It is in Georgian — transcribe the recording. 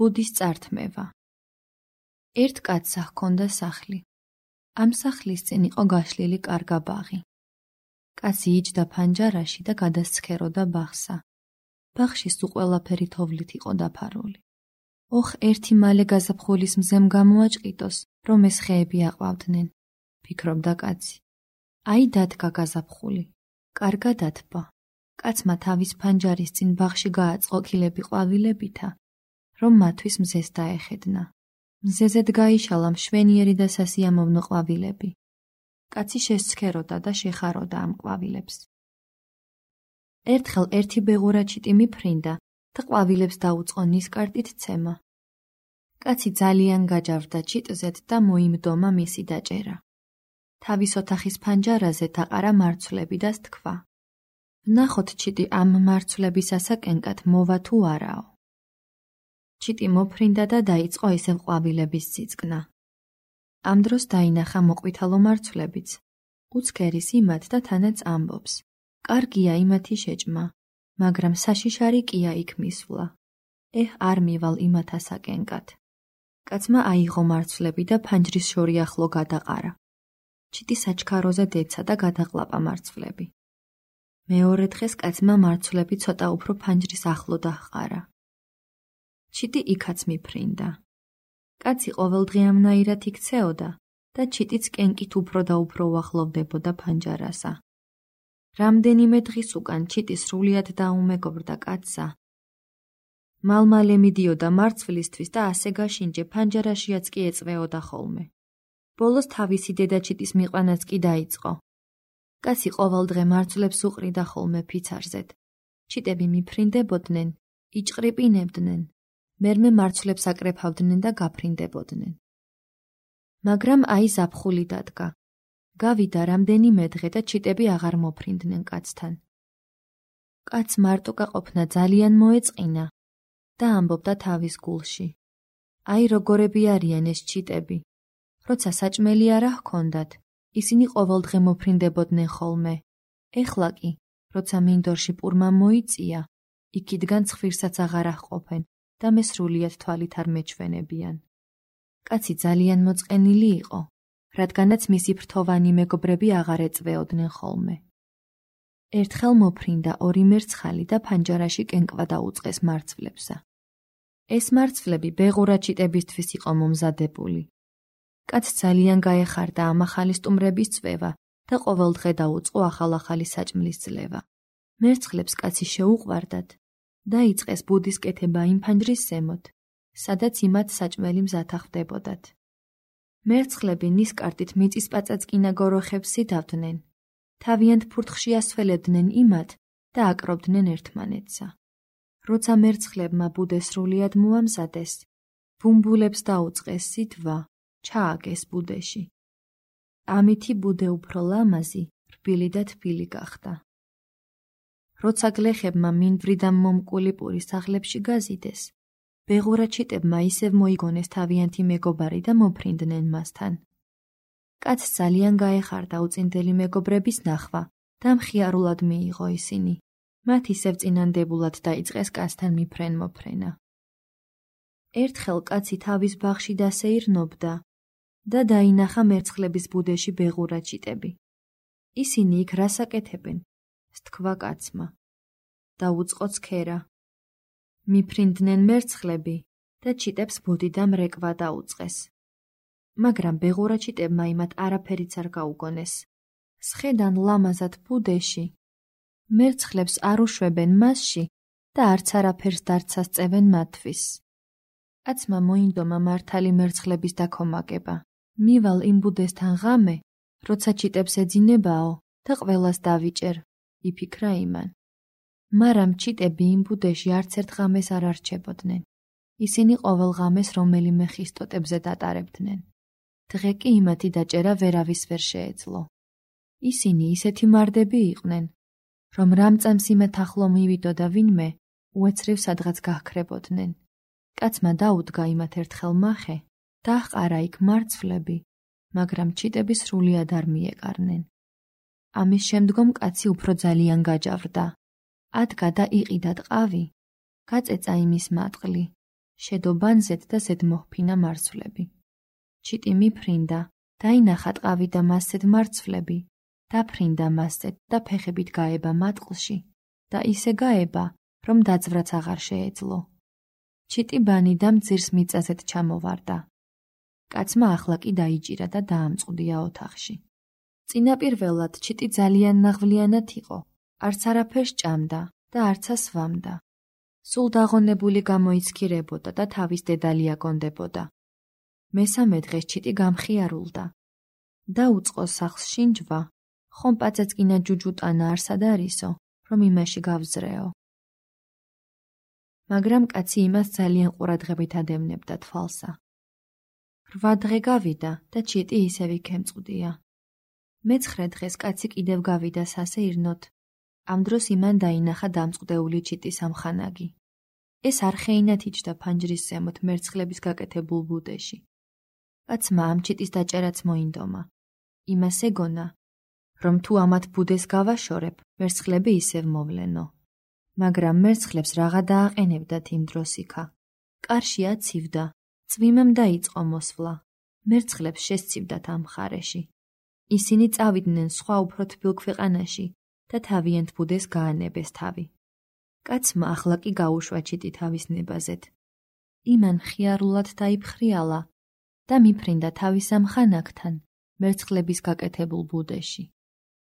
ბუდის წართმევა. ერთ კაცსა ჰქონდა სახლი. ამ სახლის წინ იყო გაშლილი კარგა ბაღი. კაცი იჯდა ფანჯარაში და გადასცქეროდა ბაღსა. ბაღში სულ ყველაფერი თოვლით იყო დაფარული. ოხ, ერთი მალე გაზაფხულის მზემ გამოაჭყიტოს, რომ ეს ხეები აყვავდნენ, ფიქრობდა კაცი. აი დადგა გაზაფხული. კარგად ათბა. კაცმა თავის ფანჯარის წინ ბაღში გააწყო კილები ყვავილებითა, რომ მათთვის მზეს დაეხედნა. მზეზედ გაიშალა მშვენიერი და სასიამოვნო ყვავილები. კაცი შესცქეროდა და შეხაროდა ამ ყვავილებს. ერთხელ ერთი ბეღურა ჩიტი მიფრინდა და ყვავილებს დაუწყო ნისკარტით ცემა. კაცი ძალიან გაჯავდა ჩიტზედ და მოიმდომა მისი დაჭერა. თავის ოთახის ფანჯარაზე დაყარა მარცვლები და სთქვა. ვნახოთ ჩიტი ამ მარცვლების ასაკენკად მოვა თუ არაო. ჩიტი მოფრინდა და დაიწყო ისევ ყვავილების სიწყნა. ამ დროს დაინახა მოყვითალო მარცვლებიც. უცქერის იმათ და თანაც ამბობს. კარგია იმათი შეჭმა, მაგრამ საშიშარი კია იქ მისვლა. არ მივალ იმათ ასაკენკად. კაცმა აიღო მარცვლები და ფანჯრის შორი ახლო გადაყარა. ჩიტი საჩქაროზე დეცა და გადაყლაპა მარცვლები. მეორე დღეს კაცმა მარცვლები ცოტა უფრო ფანჯრის ახლო დაჰყარა. ჩიტი იქაც მიფრინდა. კაცი ყოველდღიამნაირად იქცეოდა და ჩიტიც კენკით უფრო და უფრო უახლოვდებოდა ფანჯარასა. რამდენიმე დღის უკან ჩიტი სრულიად დაუმეგობრდა კაცსა. მალმალე მიდიოდა მარცვლისთვის და ასე გაშინჯე ფანჯარაშიაც კი ეწვეოდა ხოლმე. ბოლოს თავისი დედა ჩიტის მიყვანაც კი დაიწყო. კაცი ყოველდღე მარცვლებს უყრიდა ხოლმე ფიცარზედ. ჩიტები მიფრინდებოდნენ, იჭყრიპინებდნენ. მერმე მარცვლებს აკრეფავდნენ და გაფრინდებოდნენ. მაგრამ აი ზაფხული დადგა. გავიდა რამდენიმე დღე და ჩიტები აღარ მოფრინდნენ კაცთან. კაც მარტო გაყოფნა ძალიან მოეწყინა და ამბობდა თავის გულში. აი როგორები არიან ეს ჩიტები. როცა საჭმელი არა ჰქონდათ, ისინი ყოველდღე მოფრინდებოდნენ ხოლმე. ეხლა კი, როცა მინდორში პურმა მოიწია, იქიდან ცხვირსაც აღარ აჰყოფენ და მე სრულიად თვალით არ მეჩვენებიან. კაცი ძალიან მოწყენილი იყო, რადგანაც მისი ფრთოვანი მეგობრები აღარ ეწვეოდნენ ხოლმე. ერთხელ მოფრინდა ორი მერცხალი და ფანჯარაში კენკვა დაუწყეს მარცვლებსა. ეს მარცვლები ბეღურა ჩიტებისთვის იყო მომზადებული. კაცს ძალიან გაეხარდა ამ ახალი სტუმრების წვევა და ყოველდღე დაუწყო ახალ-ახალი საჭმლის ძლევა. მერცხლებს კაცი შეუყვარდათ. დაიწყეს ბუდის კეთება იმ ფანჯრის ზემოთ, სადაც იმათ საჭმელი მზათა ხდებოდათ. მერცხლები ნისკარტით მიწისპაწაწკინა გოროხებს იდავდნენ. თავიანთ ფურთხში ასველებდნენ იმათ და აკრობდნენ ერთმანეთსა. როცა მერცხლებმა ბუდე სრულიად მოამზადეს, ბუმბულებს დაუწყეს სითვა, ჩააგეს ბუდეში. ამითი ბუდე უფრო ლამაზი, რბილი და თბილი გახდა. როცა გლეხებმა მინდვრიდან მომკული პური სახლებში გაზიდეს, ბეღურა ჩიტებმა ისევ მოიგონეს თავიანთი მეგობარი და მოფრინდნენ მასთან. კაცს ძალიან გაეხარდა უწინდელი მეგობრების ნახვა და მხიარულად მიიღო ისინი. მათ ისევ წინანდებულად დაიწყეს კაცთან მიფრენ-მოფრენა. ერთხელ კაცი თავის ბაღში დასეირნობდა და დაინახა მერცხლების ბუდეში ბეღურა ჩიტები. ისინი იქ რას აკეთებენ? სთქვა კაცმა. დაუწყო ცქერა. მიფრინდნენ მერცხლები და ჩიტებს ბუდიდან რეკვა დაუწყეს. მაგრამ ბეღურა ჩიტებმა იმათ არაფერიც არ გაუგონეს. სხედან ლამაზად ბუდეში. მერცხლებს არ უშვებენ მასში და არც არაფერს დარცას წევენ მათთვის. კაცმა მოინდომა მართალი მერცხლების დაქომაგება. მივალ იმ ბუდესთან ღამე, როცა ჩიტებს ეძინებაო და ყველას დავიჭერ, იფიქრა იმან. მაგრამ ჩიტები იმ ბუდეში არც ერთ ღამეს არ არჩებოდნენ. ისინი ყოველ ღამეს რომელიმე ხის ტოტებზე დატარებდნენ. დღე კი იმათი დაჭერა ვერავის ვერ შეეძლო. ისინი ისეთი მარდები იყვნენ, რომ რამწამს იმათ ახლო მივიდოდა ვინმე, უეცრივ სადღაც გაჰქრებოდნენ. კაცმა დაუდგა იმათ ერთხელ მახე, დაჰყარა იქ მარცვლები, მაგრამ ჩიტები სრულიად არ მიეკარნენ. ამის შემდგომ კაცი უფრო ძალიან გაჯავრდა. ადგა და იყიდა ტყავი, გაწეცა იმის მატყლი, შედობანზეთ და ზედმოჰფინა მარცვლები. ჩიტი მიფრინდა, დაინახა ტყავი და მასზედ მარცვლები, დაფრინდა მასზედ და ფეხებით გაება მატყლში და ისე გაება, რომ დაძვრაც აღარ შეეძლო. ჩიტი ბანიდამ ძირს მიწაზედ ჩამოვარდა. კაცმა ახლა კი დაიჭირა და დაამწყდია ოთახში. წინაპირველად ჩიტი ძალიან ნაღვლიანად იყო, არც არაფერს ჭამდა და არცა სვამდა. სულ დაღონებული გამოიცქირებოდა და თავის დედალი აკონდებოდა. მესამე დღეს ჩიტი გამხიარულდა. დაუწყო სახლს შინჯვა, ხომ პაწეწკინა ჯუჯუტანა არსად არისო, რომ იმაში გავზრეო. მაგრამ კაცი იმას ძალიან ყურადღებით ადევნებდა თვალსა. 8 დღე გავიდა და ჩიტი ისევ იქემწყდია. მე-9 დღეს კაცი კიდევ გავიდა სასეირნოთ. ამ დროს იმან დაინახა დამწყდეული ჩიტის ამხანაგი. ეს არხეინად იჯდა ფანჯრის ზემოთ მერცხლების გაკეთებულ ბუდეში. კაცმა ამ ჩიტის დაჭერაც მოინდომა. იმას ეგონა, რომ თუ ამათ ბუდეს გავაშორებ, მერცხლები ისევ მოვლენო. მაგრამ მერცხლებს რაღა დააყენებდათ იმ დროს იქა. კარში აცივდა, წვიმამ დაიწყო მოსვლა. მერცხლებს შესცივდათ ამ მხარეში. ისინი წავიდნენ სხვა უფრო თბილ ქვეყანაში და თავიანთ ბუდეს გაანებეს თავი. კაცმა ახლა კი გაუშვა ჩიტი თავის ნებაზეთ. იმან ხიარულად დაიფხრიალა და მიფრინდა თავის ამხანაგთან მერცხლების გაკეთებულ ბუდეში.